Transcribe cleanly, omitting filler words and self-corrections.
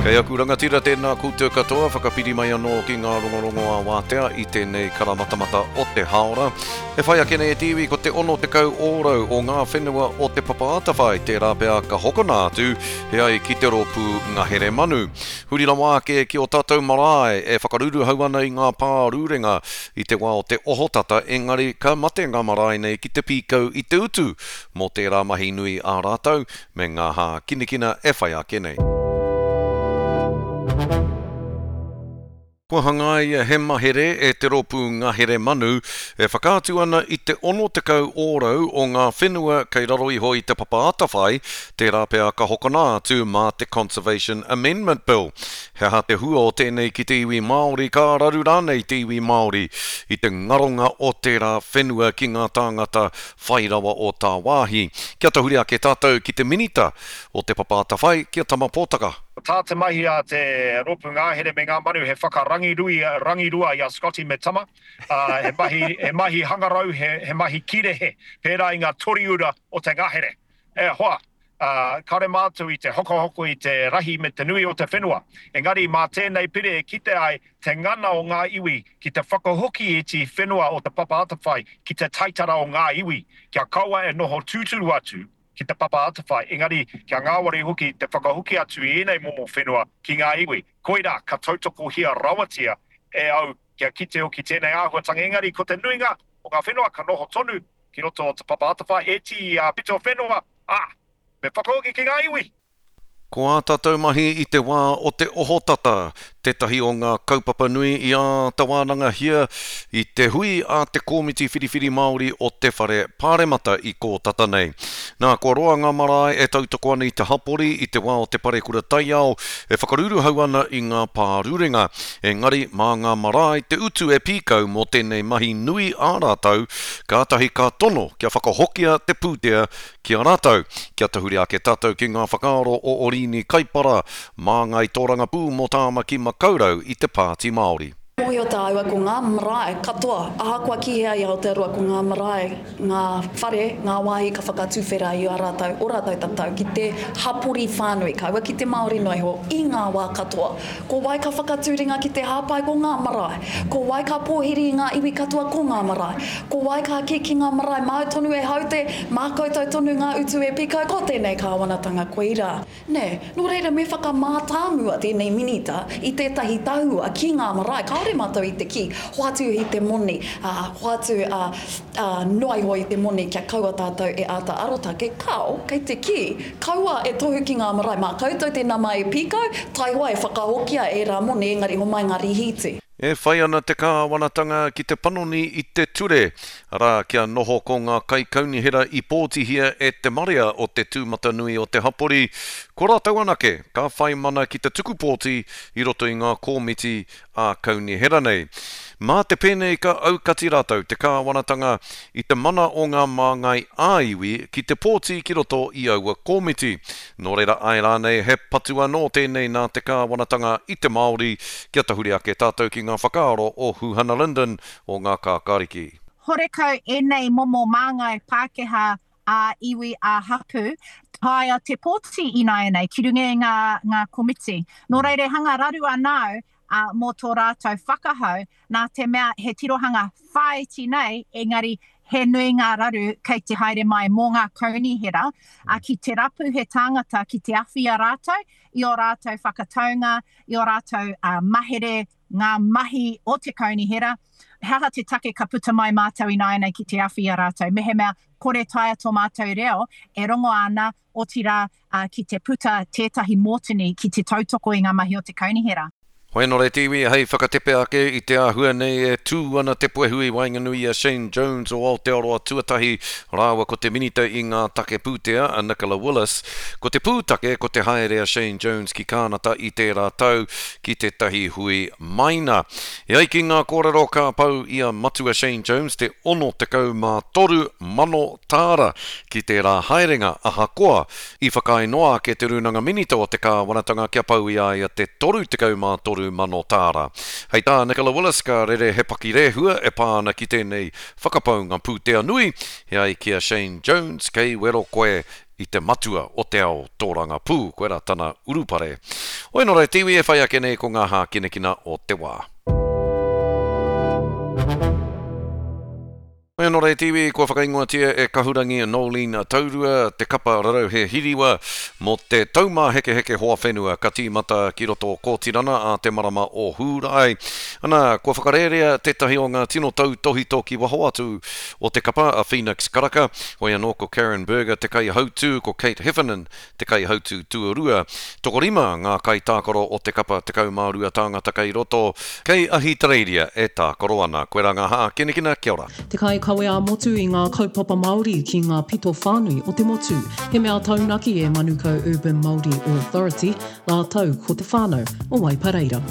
Kei aku rangatira tēnā koutou katoa, whakapiri mai anō ki ngā rongorongo ā-wātea i tēnei karamatamata o te hāora. E whai ake nei e te iwi ko te 60 ōrau o ngā whenua o Te Papa Atawhai tērā pea ka hokona atu he ai ki te rōpū ngahere manu. Huri rawa ake ki ō tātou marae e whakaruruhau ana i ngā pā rūrenga i te wā o te ohotata engari ka mate ngā marae nei ki te pīkau i te utu mō tērā mahi nui ā rātou me ngā hākinakina e whai ake nei. Kua hangaia he mahere e te Rōpū Ngahere Manu e whakaatu ana i te 60 ōrau o ngā whenua kei raro iho i Te Papa Atawhai, tērā pea ka hokona atu mā te Conservation Amendment Bill. He aha te hua o tēnei ki te iwi Māori, ka raru rānei te iwi Māori i te ngaronga o tērā whenua ki ngā tāngata whai rawa o tāwāhi? Kia tahuri ake tātou ki te Minita o Te Papa Atawhai, ki a Tama Pōtaka. Ko tā te mahi a te Rōpū Ngahere me ngā Manu he whakarangirui, rangirua i a Scotty me Tama, ā, he mahi, he mahi hangarau, he, he mahi kīrehe, pērā i ngā toriura o te ngahere. E hoa, ā, kāore mātou i te hokohoko i te rahi me te nui o te whenua, engari mā tēnei pire e kite ai te ngana o ngā iwi ki te whakahoki i te whenua o Te Papa Atawhai ki te taitara o ngā iwi, kia kaua e noho tūturu atu ki Te Papa Atawhai, engari kia ngāwari hoki te whakahoki atu i ēnei momo whenua ki ngā iwi. Koirā, ka tautokohia rawatia e au kia kite hoki tēnei āhuatanga, engari ko te nuinga o ngā whenua ka noho tonu ki roto o Te Papa Atawhai, ēti pito whenua, ā, me whakahoki ki ngā iwi! Ko ā tātou mahi i te wā o te ohotata tētahi o ngā kaupapa nui i āta wānangahia i te hui a te Komiti Whiriwhiri Māori o te Whare Pāremata i kō tata nei. Nā, kua roa ngā marae e tautoko ana i te hapori i te wā o te parekura taiao e whakaruruhau ana i ngā pārurenga. Engari, mā ngā marae te utu e pīkau mō tēnei mahi nui ā rātou, kātahi ka tono kia whakahokia te pūtea Ki a rātou, kia tahuri ake tātou ki ngā whakaaro o Oriini Kaipara, māngai tōrangapū mō Tāmaki Makaurau i te Pāti Māori. Mōhio tāua ko ngā marae katoa, ahakoa ki hea i Aotearoa ko ngā marae, ngā whare, ngā wāhi ka whakatuwhera i a rātou, ō rātou tatau ki te hapori whānui, kaua ki te Māori noa iho, i ngā wā katoa. Ko wai ka whakatū ringa ki te hāpai ko ngā marae. Ko wai ka pōhiri i ngā iwi katoa ko ngā marae. Ko wai ka kī ki ngā marae māu tonu e haute, mā koutou tonu ngā utu e pikau ko tēnei kāwanatanga koirā. Nē, nō reira me whakamātāmua tēnei minita i tētahi tahua ki ngā marae. Kāore mātou i te kī, hoatu i te moni, ā, hoatu, ā, ā, noa iho i te moni kia kaua tātou e āta arotake. Kāo, kei te kī, Kaua e tohu ki ngā marae, mā koutou te nama e pīkau, taihoa e whakahokia ērā moni engari homai ngā rīhīti. E whai ana te kāwanatanga ki te panoni i te ture, arā, kia noho ko ngā kaikaunihera i pōtihia e te marea o te tūmatanui o te hapori, ko rātou anake ka whai mana ki te tuku pōti i roto i ngā komiti ā-kaunihera nei. Mā te pēnei ka aukati rātou, te kāwanatanga, i te mana o ngā māngai ā-iwi ki te pōti ki roto i aua komiti. Nō reira āe rānei he patu anō tēnei nā te kāwanatanga i te Māori kia tahuri ake tātou ki ngā whakaaro o Huhana Lyndon o Ngā Kākāriki. Horekau ēnei momo māngai Pākehā ā-iwi, ā-hapū, taea te pōti ināianei ki runga i ngā, ngā komiti. Nō reira e hanga raru ana au ā, mō tō rātou whakahau, nā te mea he tirohanga whāiti nei, engari he nui ngā raru kei te haere mai mō ngā kaunihera, ā, ki te rapu he tāngata ki te awhi i a rātou, i ō rātou whakataunga, i ō rātou mahere, ngā mahi o te kaunihera, he aha te take ka puta mai mātou ināianei ki te awhi i a rātou, mehemea kore taea tō mātou reo e rongo ana, otirā, ki te puta tētahi mōtini ki te tautoko i ngā mahi o te kaunihera. Hoenore te iwi hei whakatepe ake i te āhua nei e tū ana te puehu i waenganui i a Shane Jones o Aotearoa Tuatahi rāua ko te Minita i ngā Take Pūtea a Nicola Willis. Ko te pūtake ko te haere a Shane Jones ki Kānata i tērā tau ki tētahi hui maina. E ai ki ngā kōrero ka pau i a Matua Shane Jones te 63 mano tāra ki tērā haerenga ahakoa i whakaae noa ake te Rūnanga Minita o te Kāwanatanga kia pau i a ia te 33 mano tāra. Hei tā Nicola Willis ka rere he pakirehua e pā ana ki tēnei whakapaunga pūtea nui, he ai ki a Shane Jones kei wero koe. I te matua o te ao tōrangapū, koirā tana urupare. Hoi nō reira te iwi e whai ake nei ko ngā hākinakina o te wā. Hoi anō reira te iwi, kua whakaingoatia e Kahurangi Noeline Taurua te kapa rarauhe hiriwa mō te Taumāhekeheke Hoa Whenua ka tīmata ki roto o Kōtirana ā te marama o Hūrae. Ana, kua whakarērea tētahi o ngā tino tautōhito ki waho atu o te kapa, a Phoenix Karaka, hoi anō ko Karen Burger te kaihautū, ko Kate Heffernan te kaihautū tuarua. Tokorima ngā kaitākaro o te kapa 12 tāngata kei roto, kei Ahitereiria e tākaro ana. Koirā ngā hākinakina, kia ora. Te kaikawe ā-motu i ngā kaupapa Māori ki ngā pito whānui o te motu. He mea taunaki e Manukau Urban Māori Authority rātou ko te whānau o Waipareira.